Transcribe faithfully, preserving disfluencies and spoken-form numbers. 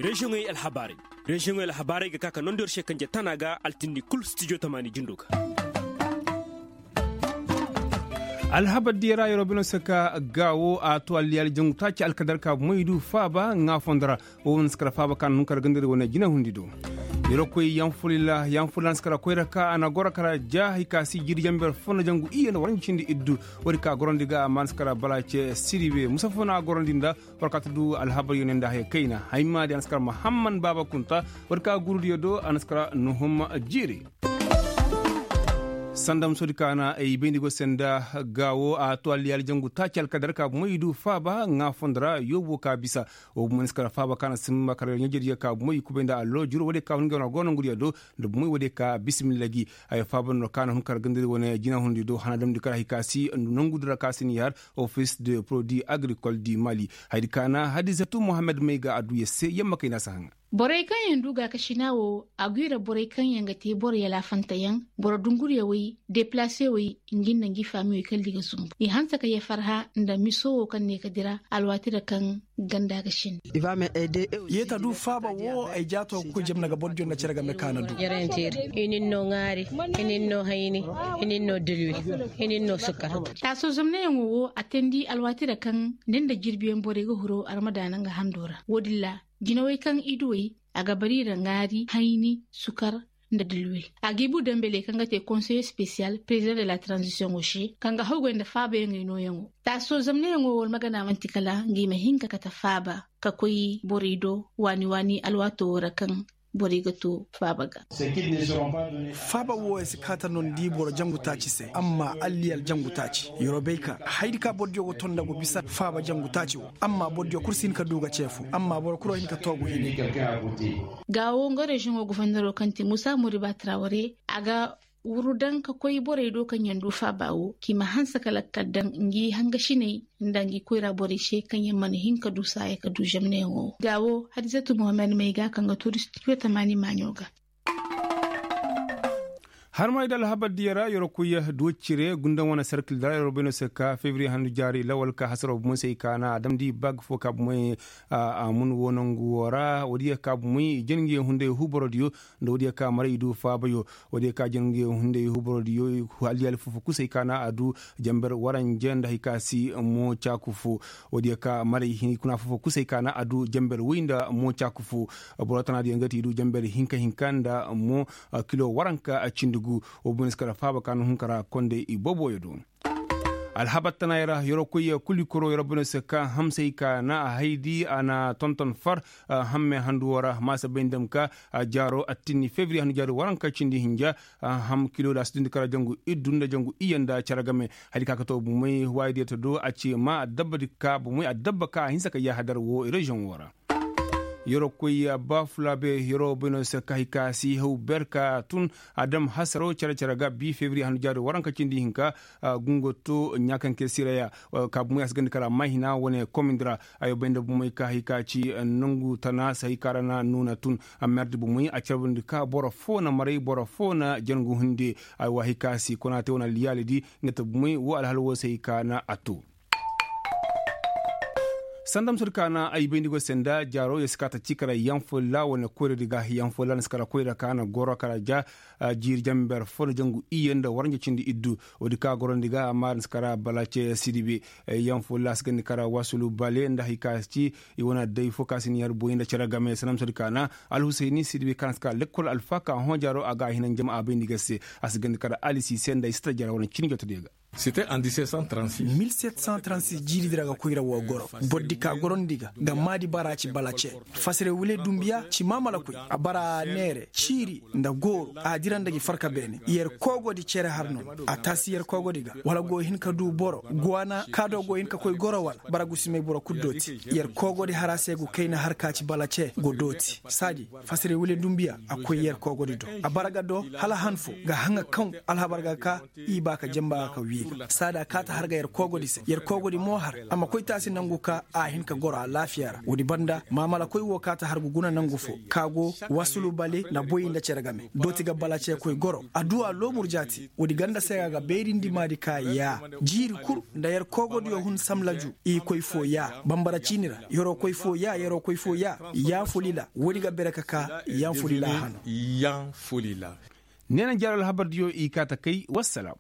Reziyoŋey alhabaarey. Reziyoŋey alhabaarey ga ka ka nondi yer se kanje tana ga altindi kul stijo tamaani jindo ga. Alhabar diya ra yeroo bino se ka gaawo a to alliyaali jangu taaci alkadar ka bomoy du faaba ŋaa fondo ra. Wo wane si kara faaba ka na hun kara gandari wane jina hundi do. Yeroo koy yanfulila yanfulila na si kara koyra ka a na goro kara ja hay ka si jiiri jamber fo na jangu iyye nda waranji cindi iddu. Woodi ka gorandi ga amma na si kara bala ce siribe musa fo na a gorandi nda. War ka ta du alhabar yone nda haya kayna hay ma di a na si kara muhammad baaba kunta. War ka gurudiyo do a na si kara nuhum jiiri. Sanda musoodi ka na ay bayndi go se nda gaawo a to alliyaali jangu taaci alkadar ka bomoy du faaba ŋaa fondo ra yoobo ka bisa. Wo bomoy na si kara faaba ka na simba kara ɲajediyo ka bomoy kubay nda allo juru woodiyo ka hun ga wana go nongudiyo do. Nda bomoy woodiyo ka bisimilla gi. Haya faaba no ka na hun kara gandari wane jina hundi do hana damndi kara hay ka si nongudi ra ka si ni har. Office de produit agricole du mali. Haydi ka na hadisatu mohammed may ga adduya se yamma kay na si haŋa. Borey kaŋ yaŋ du gaakasina wo a gwi ra borey kaŋ yaŋ ga te boro yalaafanteyaŋ, boro dunguryawey, deplaasewey, ngi nda ngi faamiyey kala di ga zumbu i hanse ka yee farha nda miso wo kaŋ ne ka dira alwaati ra kaŋ ganda ga sinda. Yeeta du faaba wo ay jaato ga koy jamna ga bordiyo nda cere game ka na du. I nin no ŋaari, i nin no hayni, i nin no dilwi, i nin no sukar. Taaso zamnayaŋo wo a teendi alwaati ra kaŋ ni nda jirbiyaŋ borey ga huru armadaana nga hando ra wo-din ra. Jinawey kaŋ i duwey a ga bari i ra ŋaari hayni sukar nda dilwil. A ga i bu dambeley kaŋ ga te konseye spesiyal prezidaŋ de la taranzisiyoŋo se kaŋ ga hawgay nda faabayaŋey nooyaŋo. Taaso zamnayaŋo wo almagana man'ti kala nga i ma hin ka kate faaba ka koy borey do waani waani alwaato wo ra kaŋ borey ga to faaba ga. Faaba wo ya si kaata no ni di boro jangu taaci se amma alliyal jangu taaci yeroo bay ka haydi ka bordiyo go to nda go bisa faaba jangu taaci wo. Amma bordiyo kul si hin ka du ga ce fo amma boro kul wo hin ka to go hine. Gaawo nga reziyoŋo goforneroo kaŋ ti musa muriba taraware a ga wuru daŋ ka koy borey do kaŋ yaŋ du faaba wo k'i ma hanse ka lakkal daŋ ngi hangasiney nda ngi koyra borey se kaŋ yaŋ mana hin ka du saaya ka du zamneyaŋo wo. Gaawo hadisatu mohammed may ga kaŋ ga tuuri studio tamaani maaɲo ga. Harmay da alhabar diya ra yeroo koy duwa cire gundaŋ wane serkil da ra yeroo bay no se ka febriye handu jaari lawal ka hasaroo bomoy se i kaana a damndi baag fo ka bomoy. A mun wo nangu wo ra woodiyo ka bomoy i jana ngi hunday huuborodiyo nda woodiyo ka maray i du faabayo. Woodiyo ka jana ngi hunday huuborodiyo alliyaali fofo kusay ka na a du jamber waranje nda hay ka si mo caaku fo. Woodiyo ka maray hinkuna fofo kusay ka na a du jamber woy nda mo caaku fo. Boro tanaadiyo nga ti i du jamber hinka hinka nda mo kilo waranka cindi gu. Wo boyne si kara faaba ka na hunkara konde i boboyo do. Alhabar tanaayey ra yeroo koy kuli koroo yeroo boyne si ka hamsey ka na a haydi a na tonton far. Hamme handu woo ra maasa bay nda ma ka jaaroo attinni febriye handu jaari waranka cindi hinja. Ham kilo da a si dundi kara jangu iddu nda jangu iyye nda cere game. Hari ka ka too bumey waayidiyo ta do a ci ma adabba di ka bumey adabba ka a hinsa ka yaahadar woo reziyoŋ woo ra. Yeroo koy baafulaabe yeroo boynoo se ka hay ka si haw ber ka tun. Adam hasaroo cere cere ga bii febriye handu jaari waranka cindi hinka. Gungo to ɲaakanke siraya. Ka bumey a si gandi kara maahina wane komindi ra. Ayo bay nda bumey ka hay ka ci nangu tana se hay ka ra na nuuna tun. Amma yer di bumey a carbundi ka boro foo na maray boro foo na jangu hunde. Ay wa hay ka si konaate wane alliyaali di nga ta bumey woo alhala woo se hay ka na a too. Sanda ma sodi ka na ay bayndi go se nda jaaro yer si ka ta ci kara yaŋ foolla wane koyra di ga yaŋ foolla na si kara koyra ka na goro kara ja. Jiiri jamber fo na jangu iyye nda waranja cindi iddu. Woodi ka gorondi ga amma na si kara balace sidibe. Yaŋ foolla a si gandi kara wasulu bale nda hay ka ci i wane day fo ka si ni yer boy nda cere game sanda ma sodi ka na alhusayni sidibe ka na si kara lekkol alfa ka hõ jaaro a ga a hina njama a bayndi ga se. A si gandi kara alisi se nda ay si ta jaaro wane cini joto di ga. Mil sept cent trente-six jiiri di ra ga koyra woo goro. Boro di ka gorondi ga ga maadi bara ci balace. Fasire wule dumbiya ci maamala koy a bara neere ciiri nda gooro a dira nda gi farka beene. Yer koogodi cere har no a taasi yer koogodi ga wala go hin ka du boro guwaana kaado go hin ka koy goro wala bara gusimey boro kul dooti. Yer koogodi har a se go kayna har ka ci balace go dooti saadi. Fasire wule dumbiya a koy yer koogodi do a bara ga do hala han fo ga haŋa kaŋ alhabar ga ka i ba ka jamba ga ka wi. Saada kaa ta har ga yer koogodi se yer koogodi mo har a ma koy taasi nangu ka a hin ka goro alaafiya ra woodi banda maamalakoy wo kaa ta har ga guna nangu fo ka go wasulu bale na boy nda cere game dooti ga bala ceekoy goro adduwa loomur jaati woodi ganda se ga ga beerindi maadi ka yaa jiiri kul nda yer koogodiyo hun samlaju i koy fo yaa bambara ciini ra yeroo koy fo yaa yeroo koy fo yaa yaa fulila woodi ga bere ka kaa yaa fulila hano. Yaa fulila. Neena jaaro alhabardiyo i kaa ta kay wassalaam.